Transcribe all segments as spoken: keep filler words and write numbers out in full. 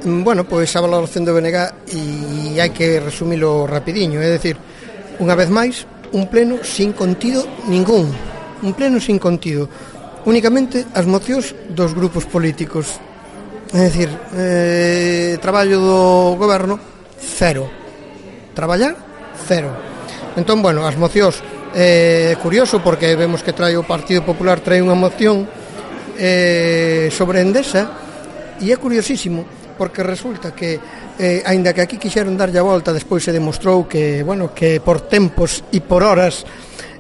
Bueno, pois a valoración do B N G e hai que resumilo rapidiño, é dicir, unha vez máis, un pleno sin contido ningún, un pleno sin contido, únicamente as mocións dos grupos políticos, é dicir, eh, traballo do goberno, cero, traballar, cero. Entón, bueno, as mocións, é eh, curioso porque vemos que trae o Partido Popular, trae unha moción eh, sobre Endesa, e é curiosísimo, porque resulta que, eh, aínda que aquí quixeron darlle a volta, despois se demostrou que, bueno, que por tempos e por horas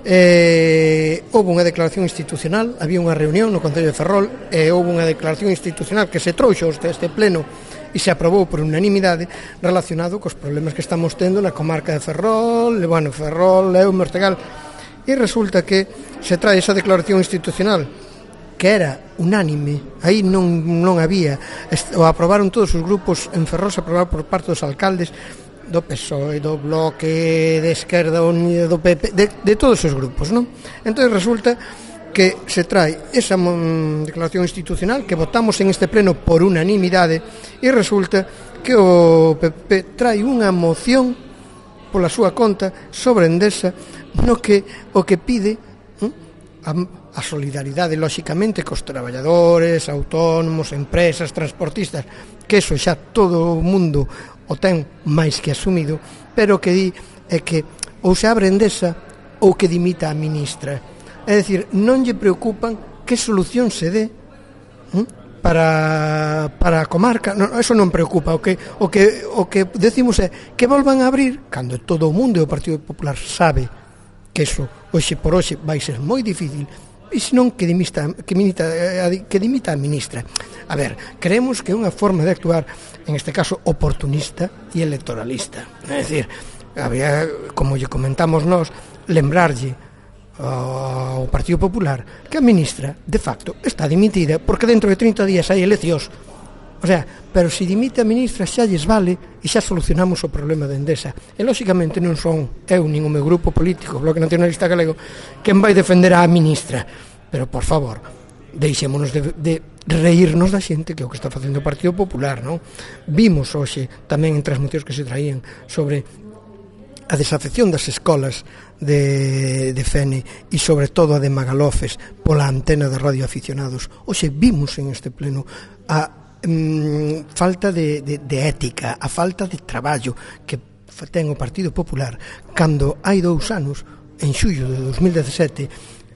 eh, houve unha declaración institucional, había unha reunión no Concello de Ferrol e houve unha declaración institucional que se trouxo este, este pleno e se aprobou por unanimidade relacionado cos problemas que estamos tendo na comarca de Ferrol, e, bueno, Ferrol, Leo, Mortegal, e resulta que se trae esa declaración institucional que era unánime, aí non, non había, o aprobaron todos os grupos en Ferrol, se aprobaron por parte dos alcaldes do P S O E, do Bloque, de Esquerda Unida, do P P, de, de todos os grupos, non? Entón resulta que se trae esa mm, declaración institucional que votamos en este pleno por unanimidade e resulta que o P P trae unha moción pola súa conta sobre Endesa no que o que pide hm, a, a solidaridade, lóxicamente, cos traballadores, autónomos, empresas, transportistas, que eso xa todo o mundo o ten máis que asumido, pero que di é que ou se abre Endesa ou que dimita a ministra. É dicir, non lle preocupan que solución se dé hm, para, para a comarca, non, eso non preocupa. O que, o, que, o que decimos é que volvan a abrir, cando todo o mundo e o Partido Popular sabe que eso, hoxe por hoxe, vai ser moi difícil, e senón que dimita, que, dimita, que dimita a ministra. A ver, creemos que é unha forma de actuar, en este caso, oportunista e electoralista. É dicir, había, como lle comentamos nós, lembrarlle ao Partido Popular que a ministra, de facto, está dimitida, porque dentro de trinta días hai eleccións. O sea, pero se dimite a ministra xa lles vale e xa solucionamos o problema de Endesa. E, lóxicamente, non son eu nin o meu grupo político, o Bloque Nacionalista Galego, quen vai defender a ministra. Pero, por favor, deixémonos de, de reírnos da xente, que é o que está facendo o Partido Popular, non? Vimos hoxe tamén entre as mocións que se traían sobre a desafección das escolas de, de Fene e sobre todo a de Magalofes pola antena de radioaficionados. Hoxe vimos en este pleno a mm, falta de, de, de ética, a falta de traballo que ten o Partido Popular cando hai dous anos, en xullo de dos mil dezasete,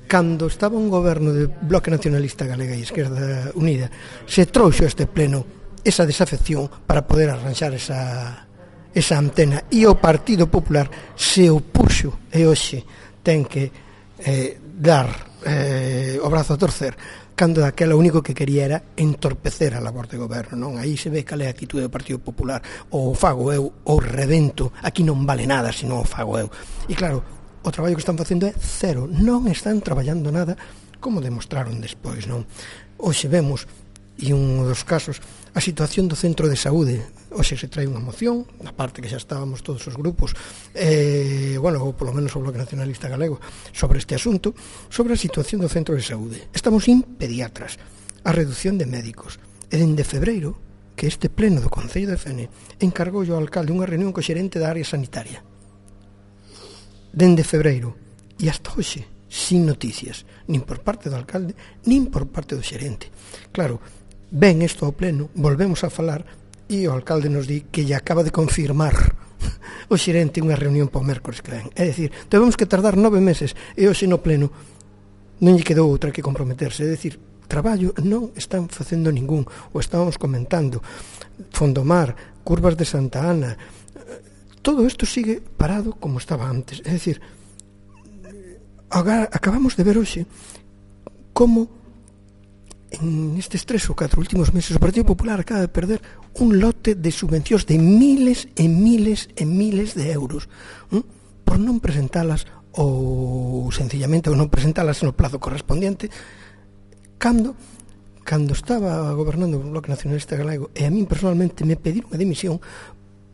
cando estaba un goberno de Bloque Nacionalista Galega e Esquerda Unida, se trouxo este pleno esa desafección para poder arranxar esa esa antena, e o Partido Popular se opuxo e hoxe ten que eh, dar eh, o brazo a torcer cando daquela o único que quería era entorpecer a labor de goberno, non? Aí se ve cal é a actitude do Partido Popular, ou fago eu ou rebento, aquí non vale nada se non o fago eu. E claro, o traballo que están facendo é cero, non están traballando nada, como demostraron despois, non? Hoxe vemos, e un dos casos, a situación do centro de saúde. Hoxe se trae unha moción, na parte que xa estábamos todos os grupos, eh, bueno, ou polo menos o Bloque Nacionalista Galego, sobre este asunto, sobre a situación do centro de saúde. Estamos sin pediatras, a reducción de médicos, e dende febreiro, que este pleno do Concello de Fene encargou ao alcalde unha reunión co xerente da área sanitaria. Dende febreiro, e hasta hoxe, sin noticias, nin por parte do alcalde, nin por parte do xerente. Claro, ven isto ao pleno, volvemos a falar, e o alcalde nos di que lle acaba de confirmar o xerente unha reunión para o mércores que ven. É dicir, debemos que tardar nove meses, e hoxe no pleno non lle quedou outra que comprometerse. É dicir, traballo non están facendo ningún, o estábamos comentando, Fondomar, Curvas de Santa Ana, todo isto sigue parado como estaba antes. É dicir, agora acabamos de ver hoxe como en estes tres ou catro últimos meses o Partido Popular acaba de perder un lote de subvencións de miles e miles e miles de euros, ¿eh? Por non presentalas ou sencillamente ou non presentalas no plazo correspondiente, cando cando estaba gobernando o Bloque Nacionalista Galego, e a min personalmente me pediron a dimisión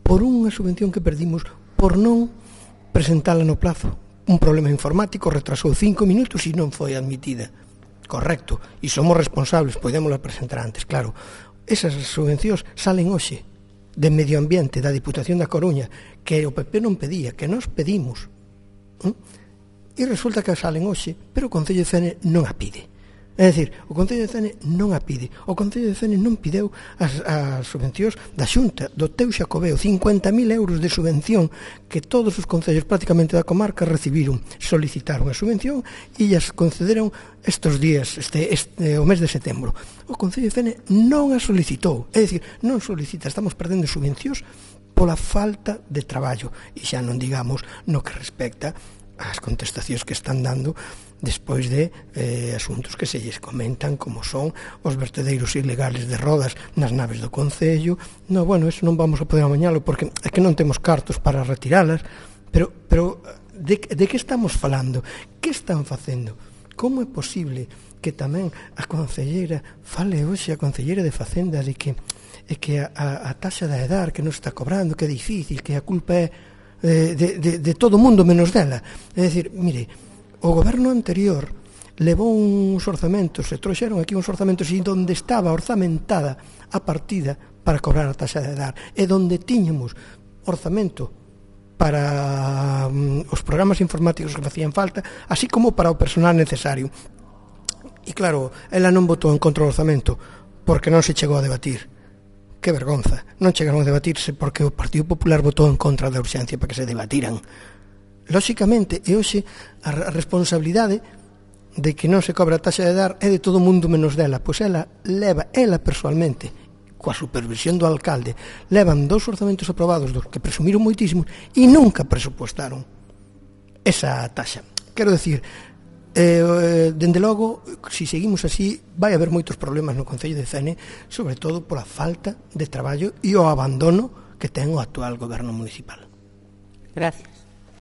por unha subvención que perdimos por non presentala no plazo. Un problema informático retrasou cinco minutos e non foi admitida. Correcto, e somos responsables, podémosla presentar antes, claro. esas subvencións salen hoxe de Medio Ambiente da Diputación da Coruña, que o P P non pedía, que nós pedimos, e resulta que salen hoxe, pero o Concello de Fene non a pide. É dicir, o Concello de Fene non a pide. O Concello de Fene non pideu as, as subvencións da Xunta, do teu Xacobeo, cincuenta mil euros de subvención que todos os concellos prácticamente da comarca recibiron, solicitaron a subvención e as concederon estes días, este, este, o mes de setembro. O Concello de Fene non a solicitou, é dicir, non solicita, estamos perdendo subvencións pola falta de traballo, e xa non digamos no que respecta ás contestacións que están dando despois de eh, asuntos que se lles comentan, como son os vertedeiros ilegales de rodas nas naves do Concello. No, bueno, eso non vamos a poder amañalo porque é que non temos cartos para retiralas, pero, pero de, de que estamos falando? Que están facendo? Como é posible que tamén a concelleira fale hoxe a concelleira de Facenda de que, é que a, a, a taxa da edar que non está cobrando, que é difícil, que a culpa é de, de, de, de todo o mundo menos dela? É dicir, mire, o goberno anterior levou uns orzamentos, se trouxeron aquí uns orzamentos e onde estaba orzamentada a partida para cobrar a taxa de edar, e onde tiñamos orzamento para um, os programas informáticos que facían falta, así como para o personal necesario. E claro, ela non votou en contra do orzamento porque non se chegou a debatir. Que vergonza, non chegaron a debatirse porque o Partido Popular votou en contra da urxencia para que se debatiran. Lóxicamente, e hoxe a responsabilidade de que non se cobra a taxa de edar é de todo o mundo menos dela, pois ela leva, ela persoalmente, coa supervisión do alcalde, levan dous orzamentos aprobados dos que presumiron moitísimo e nunca presupostaron esa taxa. Quero dicir, eh, dende logo, se si seguimos así, vai haber moitos problemas no Concello de Fene, sobre todo pola falta de traballo e o abandono que ten o actual goberno municipal. Gracias.